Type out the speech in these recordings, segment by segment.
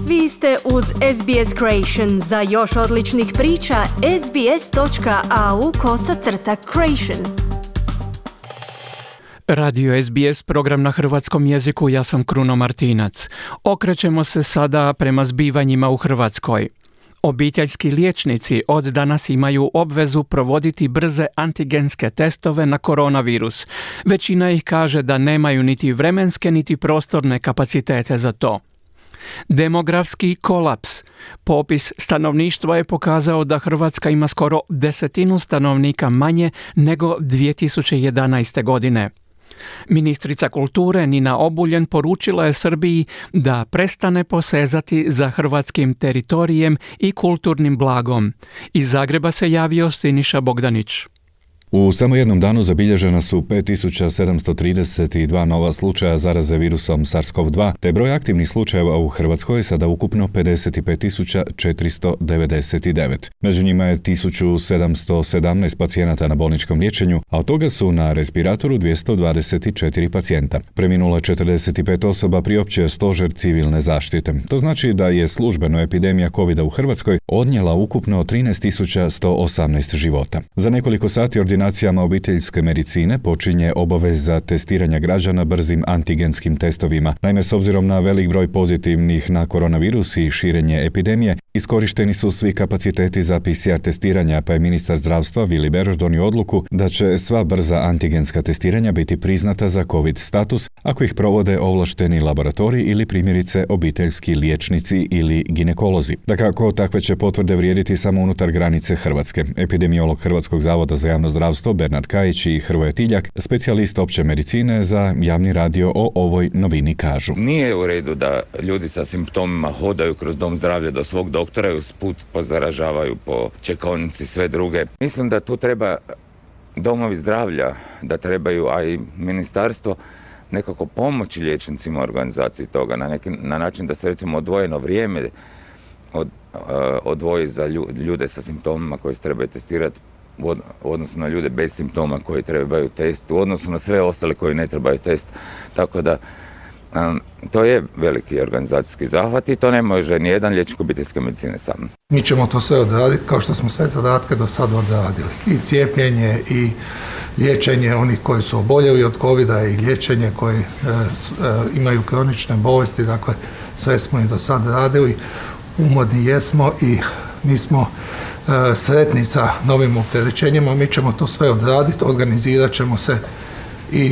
Vi ste uz SBS Creation. Za još odličnih priča, sbs.au/creation. Radio SBS, program na hrvatskom jeziku, ja sam Kruno Martinac. Okrećemo se sada prema zbivanjima u Hrvatskoj. Obiteljski liječnici od danas imaju obvezu provoditi brze antigenske testove na koronavirus. Većina ih kaže da nemaju niti vremenske niti prostorne kapacitete za to. Demografski kolaps. Popis stanovništva je pokazao da Hrvatska ima skoro 10% stanovnika manje nego 2011. godine. Ministrica kulture Nina Obuljen poručila je Srbiji da prestane posezati za hrvatskim teritorijem i kulturnim blagom. Iz Zagreba se javio Siniša Bogdanić. U samo jednom danu zabilježena su 5732 nova slučaja zaraze virusom SARS-CoV-2, te broj aktivnih slučajeva u Hrvatskoj sada ukupno 55.499. Među njima je 1717 pacijenata na bolničkom liječenju, a od toga su na respiratoru 224 pacijenta. Preminulo je 45 osoba, priopćio stožer civilne zaštite. To znači da je službeno epidemija covida u Hrvatskoj odnijela ukupno 13.118 života. Za nekoliko sati ordinacijama obiteljske medicine počinje obaveza testiranja građana brzim antigenskim testovima. Naime, s obzirom na velik broj pozitivnih na koronavirus i širenje epidemije, iskorišteni su svi kapaciteti za PCR testiranja, pa je ministar zdravstva Vili Beroš donio odluku da će sva brza antigenska testiranja biti priznata za COVID status ako ih provode ovlašteni laboratoriji ili primjerice obiteljski liječnici ili ginekolozi. Dakako, takve će potvrde vrijediti samo unutar granice Hrvatske. Epidemiolog Hrvatskog zavoda za javno zdravstvo Bernard Kajić i Hrvoje Tiljak, specijalist opće medicine za javni radio, o ovoj novini kažu. Nije u redu da ljudi sa simptomima hodaju kroz dom zdravlja do svog doktora i usput pozaražavaju po čekaonici sve druge. Mislim da tu treba domovi zdravlja, da trebaju, a i ministarstvo, nekako pomoći liječnicima u organizaciji toga, na način da se recimo odvojeno vrijeme odvoji za ljude sa simptomima koji se trebaju testirati u odnosu na ljude bez simptoma koji trebaju test, u odnosu na sve ostale koji ne trebaju test. Tako da to je veliki organizacijski zahvat i to ne može nijedan liječnik obiteljske medicine sam. Mi ćemo to sve odraditi kao što smo sve zadatke do sada odradili. I cijepljenje i liječenje onih koji su oboljeli od covida i liječenje koji imaju kronične bolesti. Dakle, sve smo i do sada radili. Umorni jesmo i nismo sretni sa novim opterećenjima. Mi ćemo to sve odraditi, organizirat ćemo se i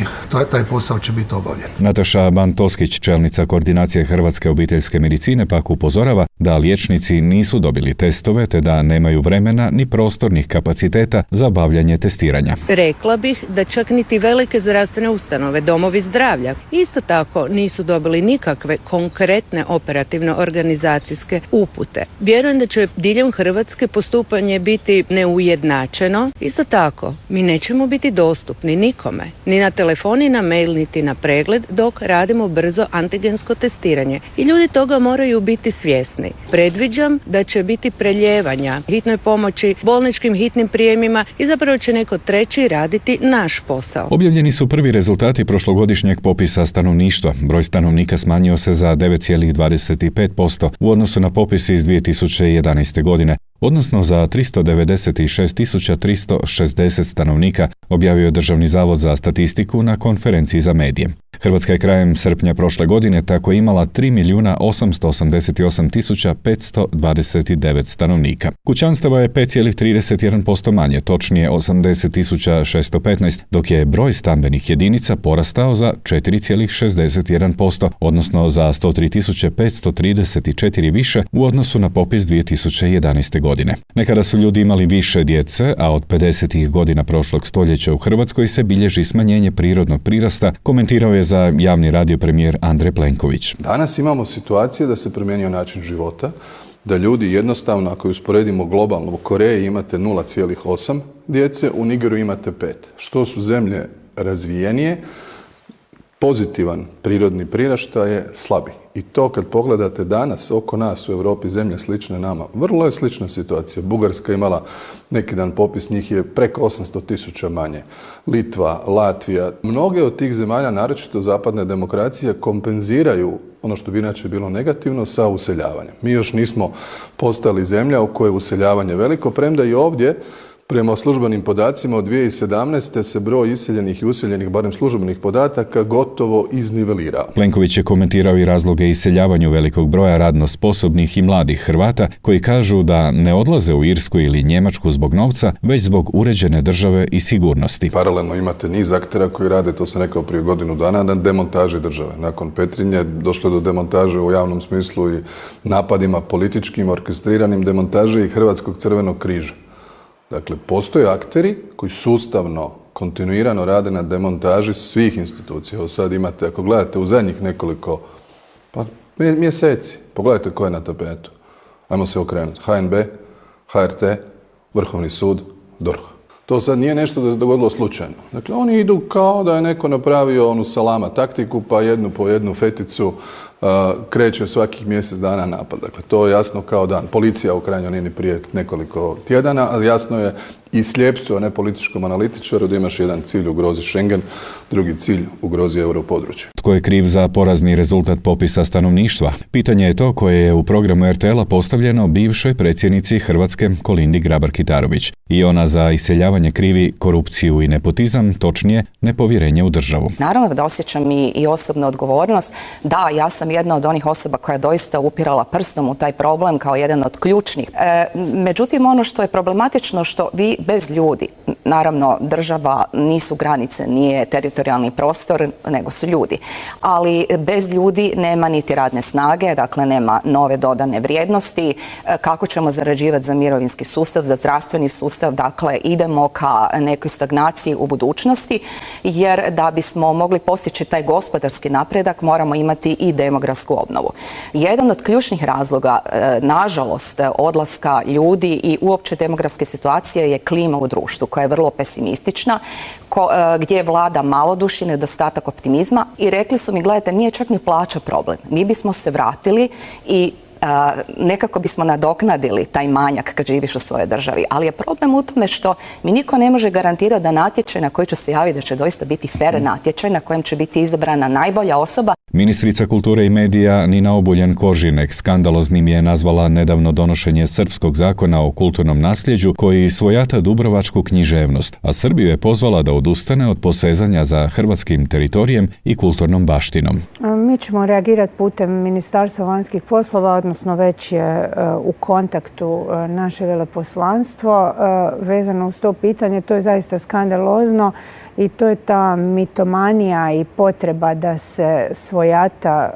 taj posao će biti obavljen. Nataša Ban-Toskić, čelnica koordinacije Hrvatske obiteljske medicine, pak upozorava da liječnici nisu dobili testove te da nemaju vremena ni prostornih kapaciteta za obavljanje testiranja. Rekla bih da čak niti velike zdravstvene ustanove, domovi zdravlja, isto tako nisu dobili nikakve konkretne operativno organizacijske upute. Vjerujem da će diljem Hrvatske postupanje biti neujednačeno. Isto tako, mi nećemo biti dostupni nikome, ni na telefon, ni na mail, niti na pregled dok radimo brzo antigensko testiranje. I ljudi toga moraju biti svjesni. Predviđam da će biti preljevanja hitnoj pomoći, bolničkim hitnim prijemima i zapravo će neko treći raditi naš posao. Objavljeni su prvi rezultati prošlogodišnjeg popisa stanovništva. Broj stanovnika smanjio se za 9,25% u odnosu na popis iz 2011. godine, odnosno za 396.360 stanovnika, objavio je Državni zavod za statistiku na konferenciji za medije. Hrvatska je krajem srpnja prošle godine tako imala 3.888.529 stanovnika. Kućanstava je 5,31% manje, točnije 80.615, dok je broj stambenih jedinica porastao za 4,61%, odnosno za 103.534 više u odnosu na popis 2011. godine. Nekada su ljudi imali više djece, a od 50. godina prošlog stoljeća u Hrvatskoj se bilježi smanjenje prirodnog prirasta, komentirao je za javni radio premijer Andrej Plenković. Danas imamo situacije da se promijenio način života, da ljudi jednostavno, ako usporedimo globalno, u Koreji imate 0,8 djece, u Nigeru imate 5. Što su zemlje razvijenije, pozitivan prirodni priraštaj je slabi. I to kad pogledate danas oko nas u Europi zemlje slične nama, vrlo je slična situacija. Bugarska imala neki dan popis, njih je preko 800.000 manje. Litva, Latvija, mnoge od tih zemalja, naročito zapadne demokracije, kompenziraju ono što bi inače bilo negativno, sa useljavanjem. Mi još nismo postali zemlja u kojoj je useljavanje veliko, premda i ovdje prema službenim podacima od 2017. se broj iseljenih i useljenih, barem službenih podataka, gotovo iznivelirao. Plenković je komentirao i razloge iseljavanju velikog broja radno sposobnih i mladih Hrvata koji kažu da ne odlaze u Irsku ili Njemačku zbog novca, već zbog uređene države i sigurnosti. Paralelno imate niz aktera koji rade, to sam rekao prije godinu dana, na demontaži države. Nakon Petrinje došlo je do demontaže u javnom smislu i napadima političkim, orkestriranim, demontaže i Hrvatskog crvenog križa. Dakle, postoje akteri koji sustavno, kontinuirano rade na demontaži svih institucija. Evo sad imate, ako gledate u zadnjih nekoliko mjeseci, pogledajte ko je na tapetu. Ajmo se okrenuti. HNB, HRT, Vrhovni sud, DORH. To sad nije nešto da se dogodilo slučajno. Dakle, oni idu kao da je neko napravio onu salama taktiku, pa jednu po jednu feticu kreće svakih mjesec dana napad. Dakle, to je jasno kao dan. Policija u krajnjoj liniji prije nekoliko tjedana, ali jasno je i slijepcu, a ne političkom analitičaru, da imaš jedan cilj ugrozi Schengen, drugi cilj ugrozi europodručje. Tko je kriv za porazni rezultat popisa stanovništva? Pitanje je to koje je u programu RTL-a postavljeno bivšoj predsjednici Hrvatske Kolindi Grabar-Kitarović. I ona za iseljavanje krivi korupciju i nepotizam, točnije nepovjerenje u državu. Naravno da osjećam i osobnu odgovornost. Da, ja sam jedna od onih osoba koja je doista upirala prstom u taj problem kao jedan od ključnih. Međutim, ono što je problematično, što vi bez ljudi, naravno država nisu granice, nije teritorijalni prostor, nego su ljudi. Ali bez ljudi nema niti radne snage, dakle nema nove dodane vrijednosti. Kako ćemo zarađivati za mirovinski sustav, za zdravstveni sustav, dakle idemo ka nekoj stagnaciji u budućnosti, jer da bismo mogli postići taj gospodarski napredak moramo imati i demografsku obnovu. Jedan od ključnih razloga, nažalost, odlaska ljudi i uopće demografske situacije je klima u društvu koja je vrlo pesimistična, gdje vlada malodušje, nedostatak optimizma i rekli su mi, gledajte, nije čak ni plaća problem. Mi bismo se vratili i nekako bismo nadoknadili taj manjak kad živiš u svojoj državi. Ali je problem u tome što mi niko ne može garantirati da natječaj na koji će se javiti da će doista biti fer natječaj na kojem će biti izabrana najbolja osoba. Ministrica kulture i medija Nina Obuljen-Koržinek skandaloznim je nazvala nedavno donošenje srpskog zakona o kulturnom nasljeđu koji svojata dubrovačku književnost, a Srbiju je pozvala da odustane od posezanja za hrvatskim teritorijem i kulturnom baštinom. Mi ćemo reagirati putem Ministarstva vanjskih poslova, odnosno već je u kontaktu naše veleposlanstvo vezano uz to pitanje. To je zaista skandalozno i to je ta mitomanija i potreba da se svojata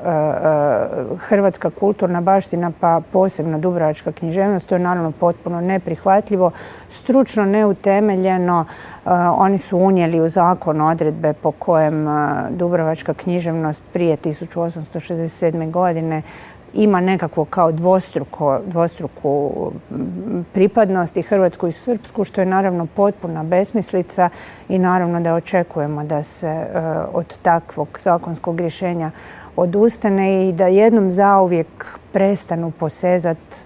hrvatska kulturna baština, pa posebno dubrovačka književnost. To je naravno potpuno neprihvatljivo, stručno neutemeljeno. Oni su unijeli u zakon odredbe po kojem dubrovačka književnost prije 1867. godine ima nekakvo kao dvostruku pripadnost i hrvatsku i srpsku, što je naravno potpuna besmislica i naravno da očekujemo da se od takvog zakonskog rješenja odustane i da jednom zauvijek prestanu posezati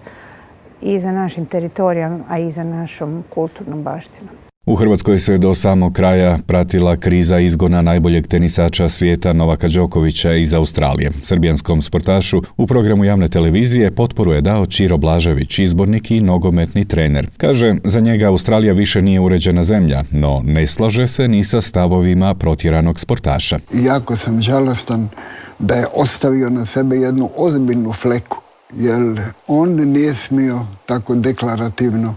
i za našim teritorijom, a i za našom kulturnom baštinom. U Hrvatskoj se do samog kraja pratila kriza izgona najboljeg tenisača svijeta Novaka Đokovića iz Australije. Srbijanskom sportašu u programu javne televizije potporu je dao Čiro Blažević, izbornik i nogometni trener. Kaže, za njega Australija više nije uređena zemlja, no ne slaže se ni sa stavovima protjeranog sportaša. Jako sam žalostan da je ostavio na sebe jednu ozbiljnu fleku, jer on nije smio tako deklarativno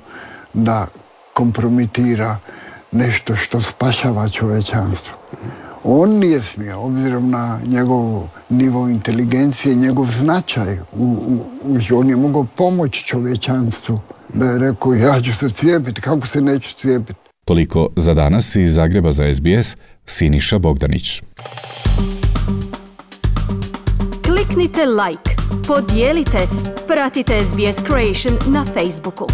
da kompromitira nešto što spašava čovečanstvo. On nije smio, obzirom na njegov nivo inteligencije, njegov značaj, on je mogao pomoći čovečanstvu, da je rekao ja ću se cijepiti, kako se neću cijepiti. Toliko za danas iz Zagreba za SBS, Siniša Bogdanić. Kliknite like, podijelite, pratite SBS Creation na Facebooku.